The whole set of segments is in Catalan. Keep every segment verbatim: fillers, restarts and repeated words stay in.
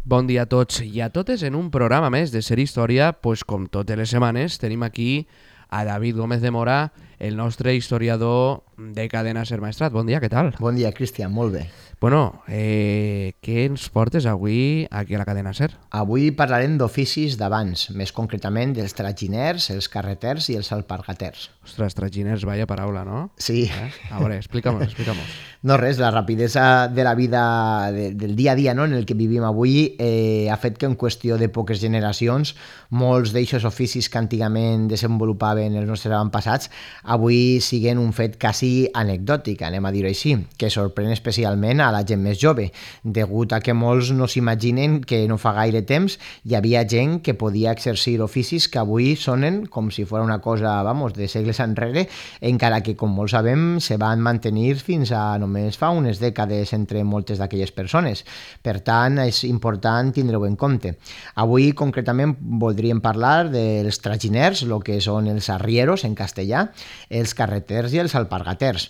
Bon dia a tots i a totes en un programa més de Ser Història, pues com totes les setmanes tenim aquí a David Gómez de Mora, el nostre historiador de Cadena Ser Maestrat. Bon dia, què tal? Bon dia, Cristian, molt bé. Bueno, eh, què ens portes avui aquí a la Cadena Ser? Avui parlarem d'oficis d'abans, més concretament dels traginers, els carreters i els alpargaters. Ostres, traginers, vaya paraula, no? Sí. Eh? A veure, explica-mos, explica-mos. No res, la rapidesa de la vida, de, del dia a dia, no?, en el que vivim avui eh, ha fet que en qüestió de poques generacions molts d'eixos oficis que antigament desenvolupaven els nostres avantpassats avui siguen un fet quasi anecdòtic, anem a dir-ho així, que sorprèn especialment a la gent més jove, degut a que molts no s'imaginen que no fa gaire temps hi havia gent que podia exercir oficis que avui sonen com si fos una cosa, vamos, de segles enrere, encara que, com molts sabem, se van mantenir fins a només fa unes dècades entre moltes d'aquelles persones. Per tant, és important tindre-ho en compte. Avui, concretament, voldríem parlar dels traginers, el que són els arrieros en castellà, els carreters i els alpargaters.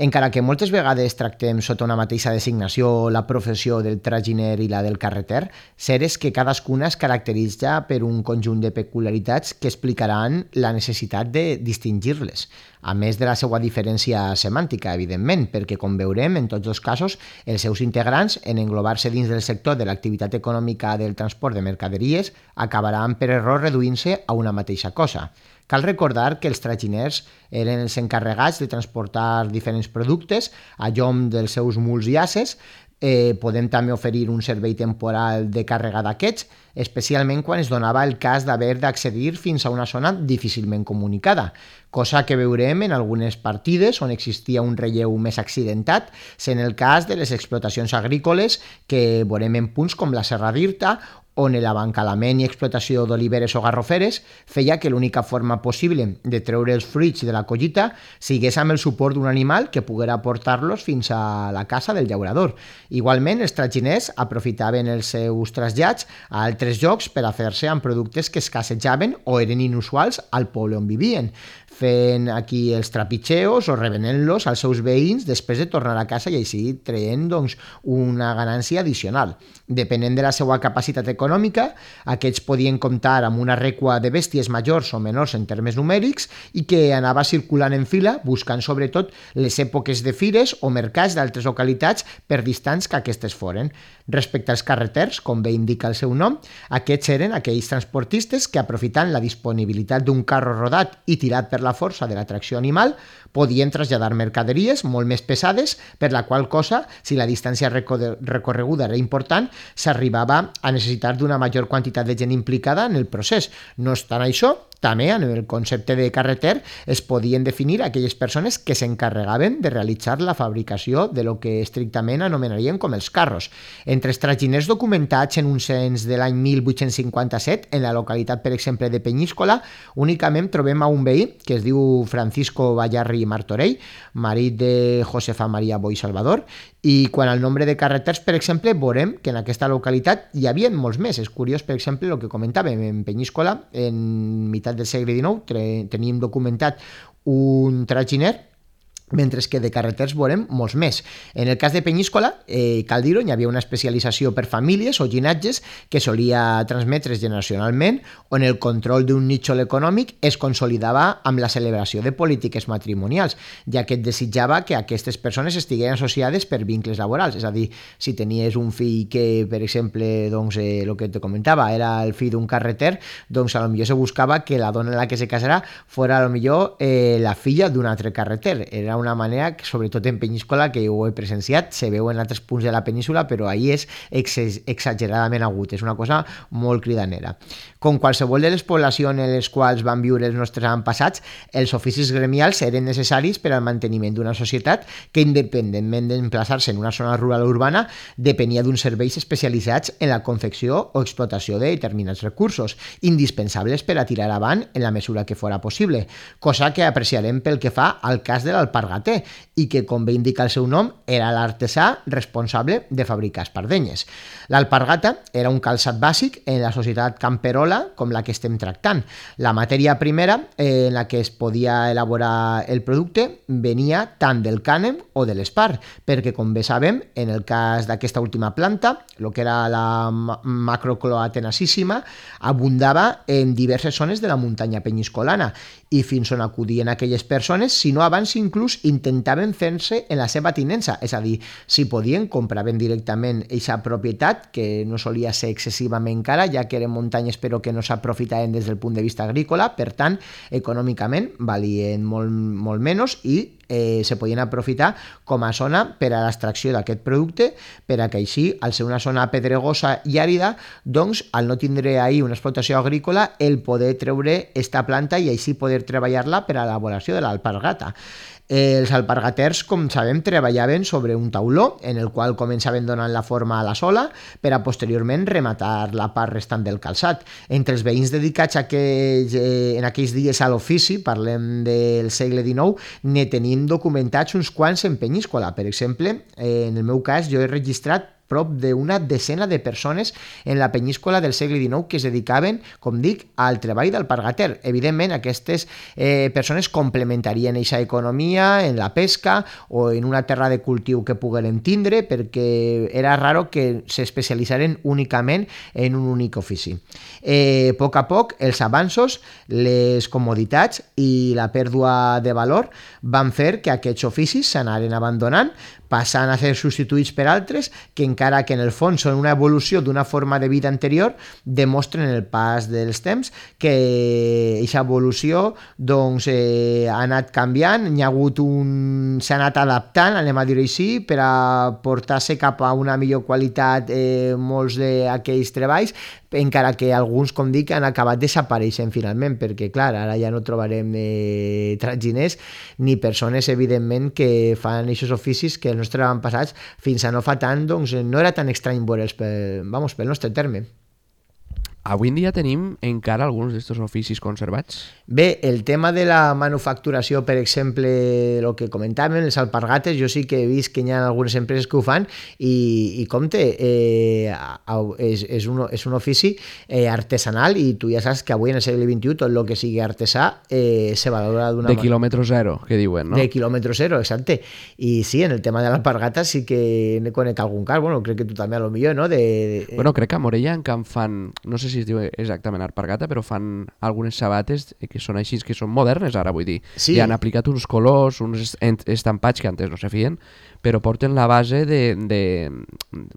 Encara que moltes vegades tractem sota una mateixa designació la professió del traginer i la del carreter, cert és que cadascuna es caracteritza per un conjunt de peculiaritats que explicaran la necessitat de distingir-les, a més de la seva diferència semàntica, evidentment, perquè, com veurem, en tots els casos, els seus integrants, en englobar-se dins del sector de l'activitat econòmica del transport de mercaderies, acabaran per error reduint-se a una mateixa cosa. Cal recordar que els traginers eren els encarregats de transportar diferents productes a llom dels seus muls i asses. Eh, podem també oferir un servei temporal de càrrega d'aquests, especialment quan es donava el cas d'haver d'accedir fins a una zona difícilment comunicada, cosa que veurem en algunes partides on existia un relleu més accidentat, sent el cas de les explotacions agrícoles que veurem en punts com la Serra d'Irta, on l'abancalament i explotació d'oliveres o garroferes feia que l'única forma possible de treure els fruits de la collita sigués amb el suport d'un animal que poguera portar-los fins a la casa del llaurador. Igualment, els traginers aprofitaven els seus trasllats a altres llocs per a fer-se amb productes que escassejaven o eren inusuals al poble on vivien, fent aquí els trapitxeos o revenent-los als seus veïns després de tornar a casa i així traient doncs, una ganància addicional. Depenent de la seva capacitat econòmica, aquests podien comptar amb una recua de bèsties majors o menors en termes numèrics i que anava circulant en fila buscant sobretot les èpoques de fires o mercats d'altres localitats per distants que aquestes foren. Respecte als carreters, com bé indica el seu nom, aquests eren aquells transportistes que, aprofitant la disponibilitat d'un carro rodat i tirat per la força de la tracció animal, podien traslladar mercaderies molt més pesades, per la qual cosa, si la distància recorreguda era important, s'arribava a necessitar d'una major quantitat de gent implicada en el procés. No obstant això, també en el concepte de carreter es podien definir aquelles persones que s'encarregaven de realitzar la fabricació de lo que estrictament anomenarien com els carros. Entre els traginers documentats en un cens de l'any mil vuit-cents cinquanta-set, en la localitat, per exemple, de Penyíscola, únicament trobem a un veí que es diu Francisco Bayarri Martorell, marit de Josefa Maria Boi Salvador, i quan al nombre de carreters, per exemple, veurem que en aquesta localitat hi havia molts més. És curiós, per exemple, el que comentàvem, en Penyíscola, en meitat del segle dinou, tenim documentat un traginer, mentre que de carreters veurem molts més. En el cas de Penyíscola, eh, cal dir-ho, hi havia una especialització per famílies o llinatges que solia transmetre's generacionalment, on el control d'un nítxol econòmic es consolidava amb la celebració de polítiques matrimonials, ja que et desitjava que aquestes persones estigueren associades per vincles laborals. És a dir, si tenies un fill que, per exemple, doncs, eh, el que te comentava, era el fill d'un carreter, doncs a lo millor se buscava que la dona en la que se casarà fora a lo millor eh, la filla d'un altre carreter. Era una manera que, sobretot en Penyíscola, que ho he presenciat, se veu en altres punts de la península, però ahir és ex- exageradament agut, és una cosa molt cridanera. Com qualsevol de les poblacions en les quals van viure els nostres avantpassats, els oficis gremials eren necessaris per al manteniment d'una societat que, independentment d'emplaçar-se en una zona rural o urbana, depenia d'uns serveis especialitzats en la confecció o explotació de determinats recursos, indispensables per a tirar avant en la mesura que fora possible, cosa que apreciarem pel que fa al cas de l'alpargatera, alpargater i que, com bé indica el seu nom, era l'artesà responsable de fabricar espardenyes. L'alpargata era un calçat bàsic en la societat camperola com la que estem tractant. La matèria primera eh, en la que es podia elaborar el producte venia tant del cànem o de l'espar, perquè, com bé sabem, en el cas d'aquesta última planta, el que era la macrocloa tenacíssima, abundava en diverses zones de la muntanya penyiscolana i fins on acudien aquelles persones, si no abans inclús intentaven fer-se en la seva tinença, és a dir, si podien compraven directament aquesta propietat, que no solia ser excessivament cara, ja que eren muntanyes però que no s'aprofitaven des del punt de vista agrícola, per tant, econòmicament valien molt, molt menys i eh, se podien aprofitar com a zona per a l'extracció d'aquest producte, per a que així, al ser una zona pedregosa i àrida, doncs, al no tindre ahir una explotació agrícola, el poder treure esta planta i així poder treballar-la per a l'elaboració de l'alpargata. Els alpargaters, com sabem, treballaven sobre un tauló en el qual començaven donant la forma a la sola per a posteriorment rematar la part restant del calçat. Entre els veïns dedicats a aquells, eh, en aquells dies a l'ofici, parlem del segle dinou, ne tenim documentats uns quants en Penyíscola. Per exemple, eh, en el meu cas, jo he registrat prop d'una decena de persones en la penyíscola del segle dinou que es dedicaven, com dic, al treball d'alpargater. Evidentment, aquestes eh, persones complementarien aquesta economia en la pesca o en una terra de cultiu que pogueren tindre, perquè era raro que s'especialitzaren únicament en un únic ofici. Eh, a poc a poc, els avanços, les comoditats i la pèrdua de valor van fer que aquests oficis s'anaren abandonant, passant a ser substituïts per altres que, encara que en el fons són una evolució d'una forma de vida anterior, demostren en el pas dels temps que aquesta evolució doncs, eh, ha anat canviant, hi ha hagut un... s'ha anat adaptant, anem a dir-ho així, per a portar-se cap a una millor qualitat eh, molts d'aquells treballs, encara que alguns, com dic, han acabat desapareixent finalment, perquè, clar, ara ja no trobarem eh, traginers ni persones, evidentment, que fan aquests oficis que els nostres avantpassats fins a no fa tant, doncs no era tan estrany veure'ls pel, vamos, pel nostre terme. Avui en dia tenim encara alguns d'aquests oficis conservats? Bé, el tema de la manufacturació, per exemple, el que comentàvem, els alpargates, jo sí que he vist que hi ha algunes empreses que ho fan i, i compte, eh, és, és, un, és un ofici eh, artesanal i tu ja saps que avui en el segle vint-i-u tot el que sigui artesà eh, se valora d'una manera. De man... quilòmetre zero, que diuen, no? De quilòmetre zero, exacte. I sí, en el tema de l'alpargata sí que ne conec algun cas, bueno, crec que tu també a lo millor, no? De... Bueno, crec que a Morella en Camp fan, no sé si es diu exactament alpargata, però fan algunes sabates que són així, que són modernes ara, vull dir. Sí. I han aplicat uns colors, uns estampats que antes no se feien, però porten la base de, de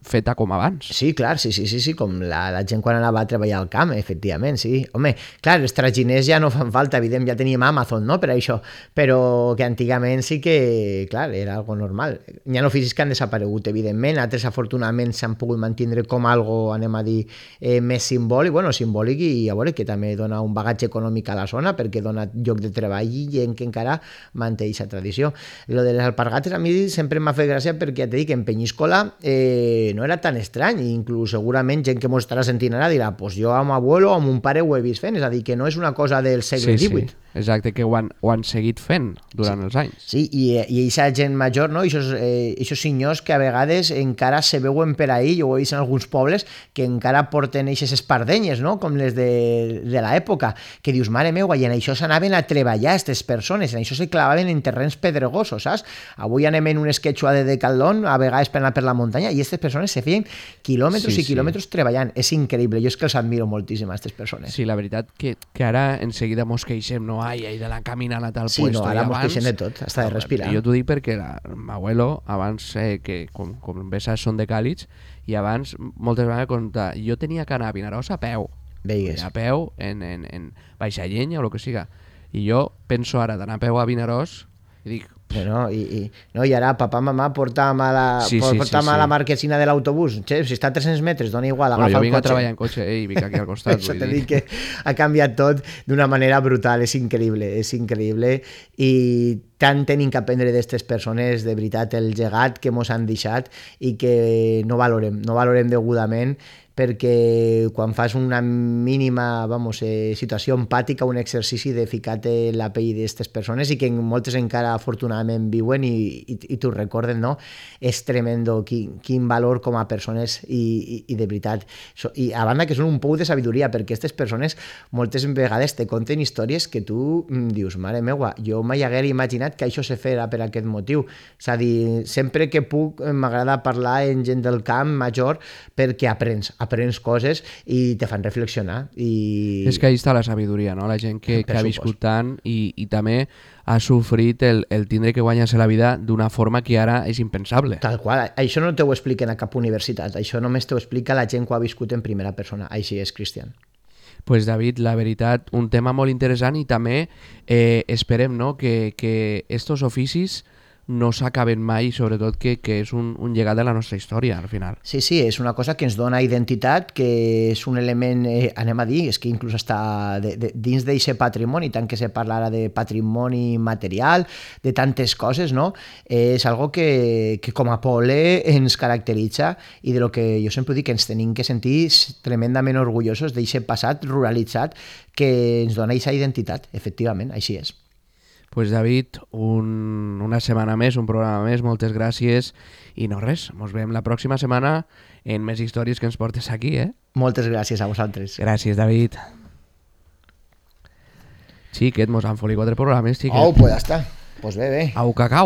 feta com abans. Sí, clar, sí, sí, sí, sí, com la, la gent quan anava a treballar al camp, efectivament, sí. Home, clar, els traginers ja no fan falta, evident, ja teníem Amazon, no?, per això, però que antigament sí que, clar, era algo normal. Hi ha oficis que han desaparegut, evidentment, altres afortunadament s'han pogut mantenir com algo, anem a dir, eh, més simbòlic, bueno, simbòlic i a veure que també dona un bagatge econòmic a la zona perquè dona lloc de treball i gent que encara manté aquesta tradició. Lo de les alpargates a mi sempre m'ha fet gràcia perquè ja t'he dit que en Penyíscola eh, no era tan estrany, inclús segurament gent que m'ho estarà sentint ara dirà pues jo amb abuelo o amb un pare ho he vist fent, és a dir, que no és una cosa del segle sí, divuit. Sí. Exacte, que ho han, ho han seguit fent durant sí. els anys. Sí, i, i aquesta gent major, no? Ixos, eh, ixos senyors que a vegades encara se veuen per ahí, jo ho he vist en alguns pobles, que encara porten eixes espardenyes, no? Com les de, de l'època, que dius, mare meua, i en això s'anaven a treballar aquestes persones, en això se clavaven en terrenys pedregosos, saps? Avui anem en un esquetxua de Decathlon, a vegades per anar per la muntanya, i aquestes persones se feien quilòmetres sí, i quilòmetres sí. treballant. És increïble, jo és que els admiro moltíssim, a aquestes persones. Sí, la veritat que, que ara enseguida mos queixem, no? Ai, ai, de la caminant a tal sí, puesto. Sí, no, ara mos abans... queixem de tot, hasta de respirar. Jo t'ho dic perquè l'abuelo, abans, eh, que com, com bé saps, són de Càlix, i abans, moltes vegades, compta, jo tenia que anar a Vinaròs a peu. Veigues. A peu, en, en, en baixa llenya o el que siga. I jo penso ara d'anar a peu a Vinaròs i dic... No, i, i, no, i ara papà, mamà, porta'm a la, sí, sí, porta'm sí, a la sí. marquesina de l'autobús. Che, si està a tres-cents metres, dona igual, agafa bueno, el cotxe. Jo vinc a treballar en cotxe eh, i vinc aquí al costat. Això t'he dit que ha canviat tot d'una manera brutal, és increïble, és increïble. I tant tenim que aprendre d'aquestes persones, de veritat, el llegat que mos han deixat i que no valorem, no valorem degudament, perquè quan fas una mínima vamos, eh, situació empàtica, un exercici de ficar-te la pell d'aquestes persones i que moltes encara afortunadament viuen i, i, i t'ho recorden, no? És tremendo quin, quin valor com a persones i, i, i de veritat. So, I a banda que són un pou de sabidoria, perquè aquestes persones moltes vegades te conten històries que tu mm, dius, mare meua, jo mai haguera imaginat que això se fera per aquest motiu. És a dir, sempre que puc m'agrada parlar amb gent del camp major perquè aprens, aprens coses i te fan reflexionar. I... És que ahí està la sabidoria, no? La gent que, que ha viscut tant i, i també ha sofrit el, el tindre que guanyar-se la vida d'una forma que ara és impensable. Tal qual. Això no t'ho expliquen a cap universitat. Això només t'ho explica la gent que ho ha viscut en primera persona. Així és, Cristian. Pues David, la veritat, un tema molt interessant i també eh, esperem, no?, que, que estos oficis no s'acaben mai, sobretot que, que és un, un llegat de la nostra història, al final. Sí, sí, és una cosa que ens dona identitat, que és un element, eh, anem a dir, és que inclús està de, de, dins d'aquest patrimoni, tant que se parla ara de patrimoni material, de tantes coses, no? Eh, és algo que, que com a poble ens caracteritza i de lo que jo sempre dic que ens tenim que sentir tremendament orgullosos d'aquest passat ruralitzat que ens dona aquesta identitat, efectivament, així és. Pues David, un, una setmana més, un programa més, moltes gràcies i no res, ens veiem la pròxima setmana en més històries que ens portes aquí, eh? Moltes gràcies a vosaltres. Gràcies, David. Xiquet, mos han folit quatre programes, xiquet. Oh, pues ja està. Pues bé, bé. Au, cacau.